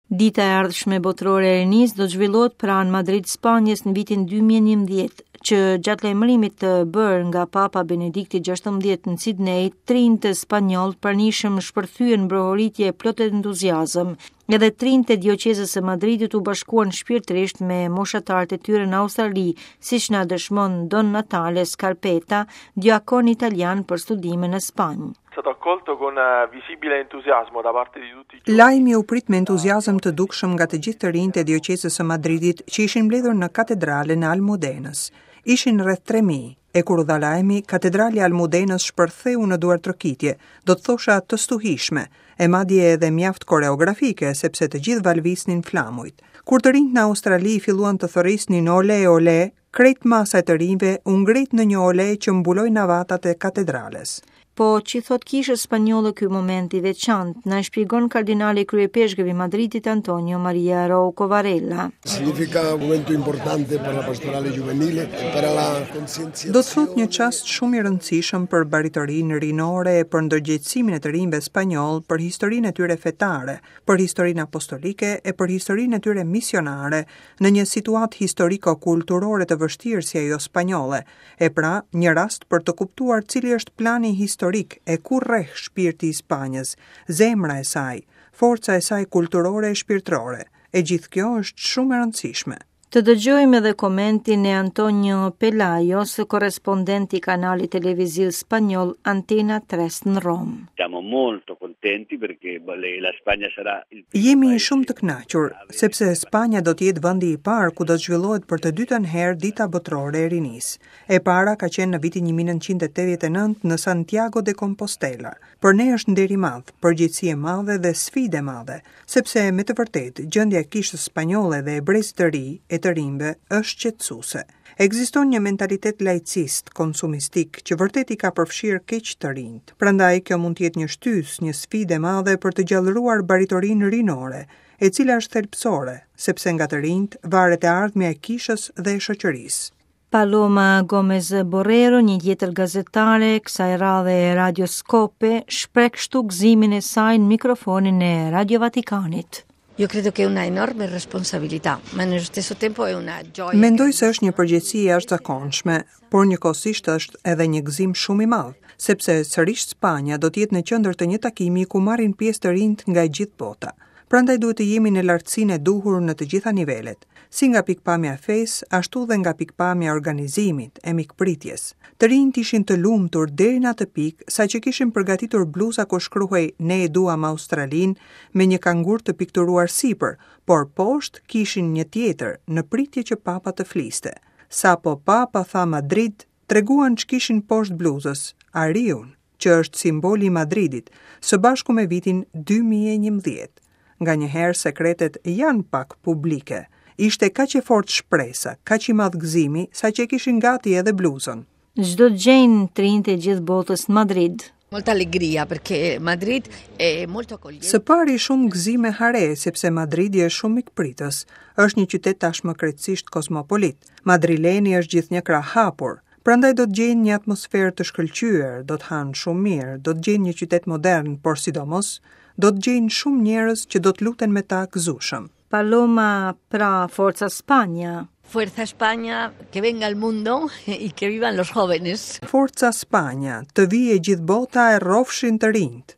Dita e ardhshme botërore e rinisë do të zhvillohet pranë Madrid, Spanjës në vitin 2011, që gjatë lajmërimit të bërë nga Papa Benedikti XVI në Sidney, të rinjtë spanjollë të pranishëm shpërthyen në brohoritje plot entuziazëm. Edhe të rinjtë e dioqezës së Madridit u bashkuan shpirtërisht me moshatarët e tyre në Australi, siç na dëshmon Don Natale Scarpetta, diakon italian për studime në Spanjë. Stato accolto con eh, visibile entusiasmo da parte di tutti i Lajmi u prit me entuziazëm të dukshëm nga të gjithë të rinjtë e dioqezës së Madridit që ishin mbledhur në katedralen e Almudenës. Ishin rreth 3000, e kur u dha lajmi, katedralja e Almudenës shpërtheu në duartrokitje, do të thosha të stuhishme, e madje edhe mjaft koreografike, sepse të gjithë valvisnin flamujt. Kur të rinjtë në Australi filluan të thërrisnin ole, ole, Krejt masa e të rinjve u ngrit në një ole që mbuloi navatat e katedrales. Po ç'i thotë kishës spanjolle ky moment i veçantë, na e shpjegon kardinali kryepeshkëv i Madridit Antonio Maria Rouco Varela. Significa un momento importante per la pastorale juvenile e per la conscienza. Do të thotë një çast shumë i rëndësishëm për baritorinë rinore e për ndërgjegjësimin e të rinjve spanjollë për historinë e tyre fetare, për historinë apostolike e për historinë e tyre misionare në një situatë historiko-kulturore të vështirë si ajo spanjolle, e pra, një rast për të kuptuar cili është plani historik e ku rreh shpirti i Spanjës, zemra e saj, forca e saj kulturore e shpirtërore. E gjithë kjo është shumë e rëndësishme. Të dëgjojmë edhe komentin e Antonio Pelajos, korrespondent i kanalit televiziv spanjoll Antena 3 në Romë. Siamo molto contenti perché la Spagna sarà il Jemi shumë të kënaqur, sepse Spanja do të jetë vendi i parë ku do të zhvillohet për të dytën herë Dita Botërore e Rinisë. E para ka qenë në vitin 1989 në Santiago de Compostela. Për ne është nder i madh, përgjegjësi e madhe dhe sfidë e madhe, sepse me të vërtetë gjendja e kishës spanjolle dhe e brezit të ri e të rinjve është shqetësuese. Ekziston një mentalitet laicist, konsumistik, që vërtet i ka përfshirë keq të rinjtë. Prandaj kjo mund të jetë një shtysë, një sfidë e madhe për të gjallëruar baritorinë rinore, e cila është thelbësore, sepse nga të rinjtë varet e ardhmja e kishës dhe e shoqërisë. Paloma Gomez Borrero, një tjetër gazetare, kësaj radhe e Radios Cope, shpreh kështu gëzimin e saj në mikrofonin e Radio Vatikanit. Io credo che è una enorme responsabilità, ma nello stesso tempo è una gioia. Mendoj se është një përgjegjësi e jashtëzakonshme, por njëkohësisht është edhe një gëzim shumë i madh, sepse sërish Spanja do të jetë në qendër të një takimi ku marrin pjesë të rinjtë nga e gjithë bota. Prandaj duhet të jemi në lartësinë e duhur në të gjitha nivelet, si nga pikëpamja e fesë, ashtu dhe nga pikëpamja e organizimit, e mikpritjes. Të rinjtë ishin të lumtur deri në atë pikë, saqë kishin përgatitur bluza ku shkruhej Ne e duam Australinë me një kangur të pikturuar sipër, por poshtë kishin një tjetër, në pritje që papa të fliste. Sapo papa tha Madrid, treguan ç'kishin poshtë bluzës, ariun, që është simboli i Madridit, së bashku me vitin 2011. Nganjëherë sekretet janë pak publike. Ishte kaq e fortë shpresa, kaq i madh gëzimi, saqë e kishin gati edhe bluzën. Ç'do të gjejnë të rinjtë e gjithë botës në Madrid. Molta allegria perché Madrid è molto accogliente. Së pari shumë gëzim e hare, sepse Madridi është shumë mikpritës. Është një qytet tashmë krejtësisht kozmopolit. Madrileni është gjithnjë krahëhapur. Prandaj do të gjejnë një atmosferë të shkëlqyer, do të hanë shumë mirë, do të gjejnë një qytet modern, por sidomos do të gjejnë shumë njerëz që do të luten me ta gëzueshëm. Paloma pra Forza Spagna. Fuerza España, que venga el mundo y que vivan los jóvenes. Forza Spagna, të vijë e gjithë bota e rrofshin të rinjtë.